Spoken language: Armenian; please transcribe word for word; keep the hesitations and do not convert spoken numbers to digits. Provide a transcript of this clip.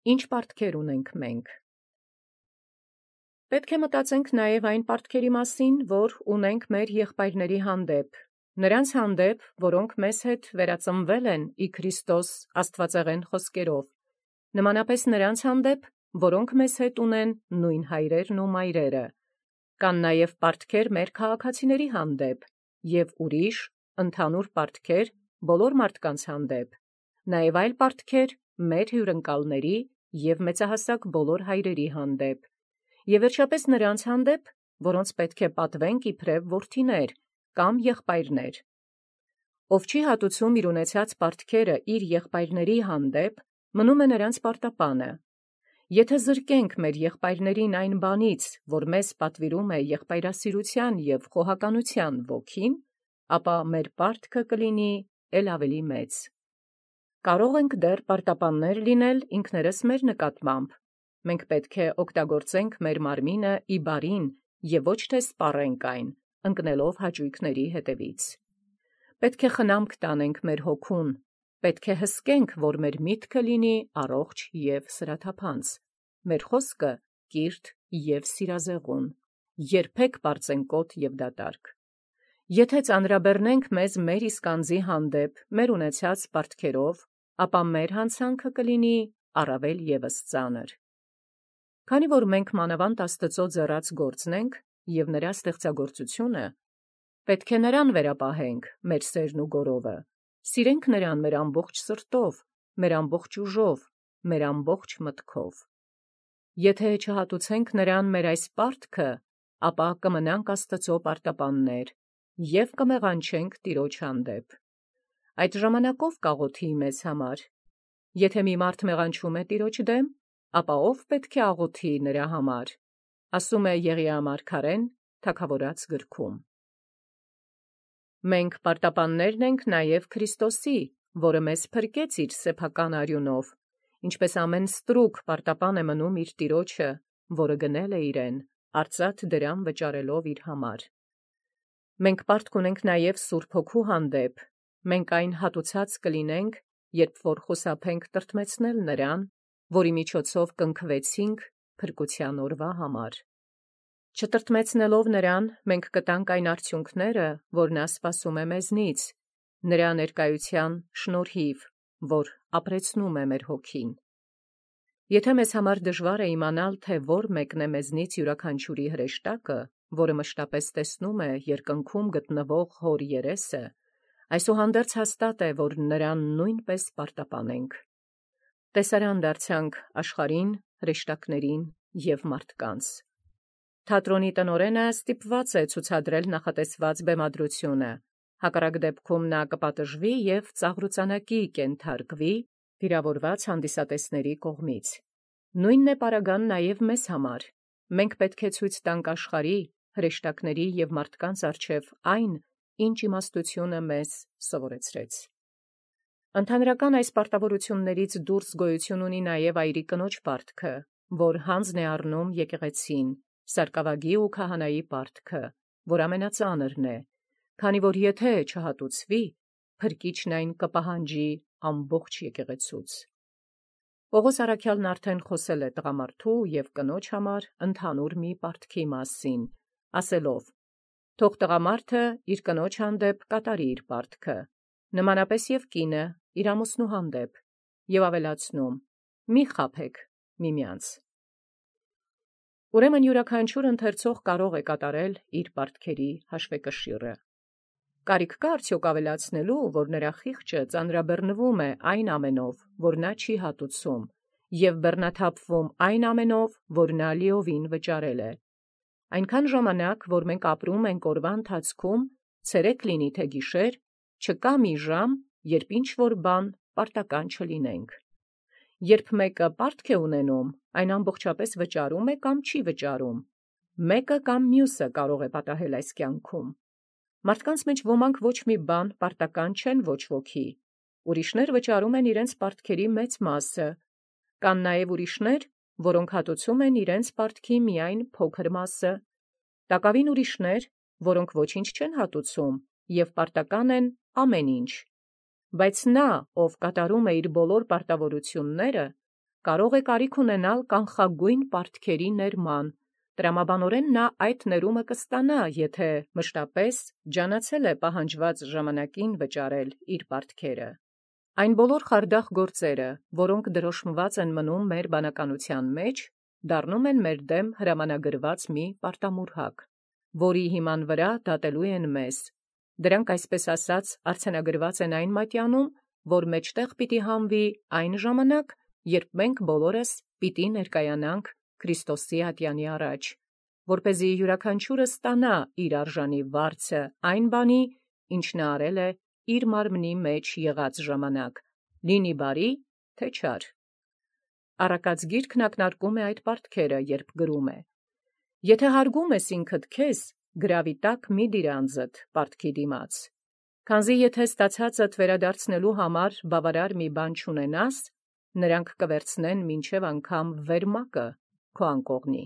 ինչ պարտքեր ունենք մենք։ Պետք է մտածենք նաև այն պարտքերի մասին, որ ունենք մեր եղբայրների հանդեպ, նրանց հանդեպ, որոնք մեզ հետ վերածնվել են ի Քրիստոս աստվածեղեն խոսքերով, նմանապես նրանց հանդեպ, որոնք մեզ հետ ունեն նույն հայրերն ու մայրերը, կան նաև պարտքեր մեր քաղաքացիների հանդեպ և ուրիշ ընդհանուր պարտքեր բոլոր մարդկանց հանդեպ, նաև այլ պարտքեր մեր հյուրընկալների և մեծահասակ բոլոր հայրերի հանդեպ, և վերջապես նրանց հանդեպ, որոնց պետք է պատվենք իբրև որդիներ կամ եղբայրներ։ Ով չի հատուցում իր ունեցած պարտքերը իր եղբայրների հանդեպ, մնում է նրանց պարտապանը։ Եթե զրկենք մեր եղբայրներին այն բանից, որ մեզ պատվիրում է եղբայրասիրության և խոհականության ոգին, ապա մեր պարտքը կլինի էլ ավելի մեծ։ Կարող ենք դեռ պարտապաններ լինել ինքներս մեր նկատմամբ։ Մենք պետք է օգտագործենք մեր մարմինը ի բարին և ոչ թե սպառենք այն, ընկնելով հաճույքների հետևից։ Պետք է խնամք տանենք մեր հոգուն, պետք է հսկենք, որ մեր միտքը լինի առողջ և սրաթափանց, մեր խոսքը կիրթ և սիրազեղուն, երբեք պարծենկոտ և դատարկ։ Եթե ծանրաբեռնենք մեզ մեր իսկ անձի հանդեպ մեր ունեցած պարտքերով, ապա մեր հանցանքը կլինի առավել ևս ծանր։ Քանի որ մենք մանավանդ Աստծո ձեռած գործն ենք և նրա ստեղծագործությունը, պետք է նրան վերապահենք մեր սերն ու գորովը, սիրենք նրան մեր ամբողջ սրտով, մեր ամբողջ ուժով, մեր ամբողջ մտքով։ Եթե չհատուցենք նրան մեր այս պարտքը, ապա կմնանք Աստծո պարտապաններ և կմեղանչենք Տիրոջ հանդեպ։ Այդ ժամանակով կաղոթի մեզ համար։ Եթե մի մարդ մեղանչում է Տիրոջ դեմ, ապա ո՞վ պետք է աղոթի նրա համար, ասում է Եղիա մարգարեն Թագավորաց գրքում։ Մենք պարտապաններն ենք նաև Քրիստոսի, որը մեզ փրկեց իր սեփական արյունով, ինչպես ամեն ստրուկ պարտապան է մնում իր Տիրոջը, որը գնել է իրեն, արծաթ դրամ վճարելով իր համար։ Մենք պարտք ունենք նաև Սուրբ Հոգու հանդեպ, մենք այն հատուցած կլինենք, երբ որ խուսափենք տրտմեցնել նրան, որի միջոցով կնքվեցինք փրկության օրվա համար։ Չտրտմեցնելով նրան, մենք կտանք այն արդյունքները, որ նա սպասում է մեզնից, նրա ներկայության շնորհիվ, որ ապրեցնում է մեր հոգին։ Եթե մեզ համար դժվար է իմանալ, թե որ մեկն է մեզնից յուրաքանչյուրի հրեշտակը, որը մշտապես տեսնում է երկնքում գտնվող Հոր երեսը, այսուհանդերձ հաստատ է, որ նրան նույնպես պարտապանենք։ Տեսարան դարձանք աշխարհին, հրեշտակներին և մարդկանց։ Թատրոնի տնօրենը ստիպված է ցուցադրել նախատեսված բեմադրությունը, հակառակ դեպքում նա կպատժվի և ծաղրուծանակի կենթարկվի վիրավորված հանդիսատեսների կողմից։ Նույնն է պարագան նաև մեզ համար։ Մենք պետք է ցույց տանք աշխարհի, հրեշտակների և մարդկանց առջև այն, ինչ իմաստությունը մեզ սովորեցրեց։ Ընդհանրական այս պարտավորություններից դուրս գոյություն ունի նաև այրի կնոջ պարտքը, որ հանձն է առնում եկեղեցին, սարկավագի ու քահանայի պարտքը, որ ամենածանրն է, քանի որ եթե չհատուցվի, փրկիչն այն կպահանջի ամբողջ եկեղեցուց։ Պողոս առաքյալն արդեն խոսել է տղամարդու և կնոջ համար ընդհանուր մի պարտքի մասին, ասելով. «Թող տղամարդը իր կնոջ հանդեպ կատարի իր պարտքը, նմանապես և կինը իր ամուսնու հանդեպ», և ավելացնում. «Մի խաբեք միմյանց»։ Ուրեմն յուրաքանչյուր ընթերցող կարող է կատարել իր պարտքերի հաշվեկշիռը։ Կարիք կա արդյոք ավելացնելու, որ նրա խիղճը ծանրաբեռնվում է այն ամենով, որ նա չի հատուցում, և բեռնաթափվում այն ամենով, որ նա լիովին վճարել է։ Այնքան ժամանակ, որ մենք ապրում ենք օրվա ընթացքում, ցերեկ լինի թե գիշեր, չկա մի ժամ, երբ ինչ-որ բան պարտական չլինենք։ Երբ մեկը պարտք է ունենում, այն ամբողջապես վճարում է կամ չի վճարում։ Մեկը կամ մյուսը կարող է պատահել այս կյանքում։ Մարդկանց մեջ ոմանք ոչ մի բան պարտական չեն ոչ ոքի։ Ուրիշներ վճարում են իրենց պարտքերի մեծ մասը։ Կան նաև ուրիշներ, որոնք հատուցում են իրենց պարտքի միայն փոքր մասը։ Տակավին ուրիշներ, որոնք ոչինչ չեն հատուցում և պարտական են ամեն ինչ։ Բայց նա, ով կատարում է իր բոլոր պարտավորությունները, կարող է կարիք ունենալ կանխագույն պարտքերի ներման։ Տրամաբանորեն նա այդ ներումը կստանա, եթե մշտապես ջանացել է պահանջված ժամանակին վճարել իր պարտքերը։ Այն բոլոր խարդախ գործերը, որոնք դրոշմված են մնում մեր բանականության մեջ, դառնում են մեր դեմ հրամանագրված մի պարտամուրհակ, որի հիման վրա դատելու են մեզ։ Դրանք այսպես ասած արձանագրված են այն մատյանում, որ մեջտեղ պիտի հանվի այն ժամանակ, երբ մենք բոլորս պիտի ներկայանանք Քրիստոսի ատյանի առաջ, որպեսզի յուրաքանչյուրը ստանա իր արժանի վարձը այն բանի, ինչ նա արել է իր մարմնի մեջ եղած ժամանակ, լինի բարի, թե չար։ Առակաց գիրքն ակնարկում է այդ պարտքերը, երբ գրում է. «Եթե հարգում ես ինքդ քեզ, գրավի տակ մի դիր անձդ պարտքի դիմաց, քանզի եթե ստացածդ վերադարձնելու համար բավարար մի բան չունենաս, նրանք կվերցնեն մինչև անգամ վերմակը քո անկողնի»։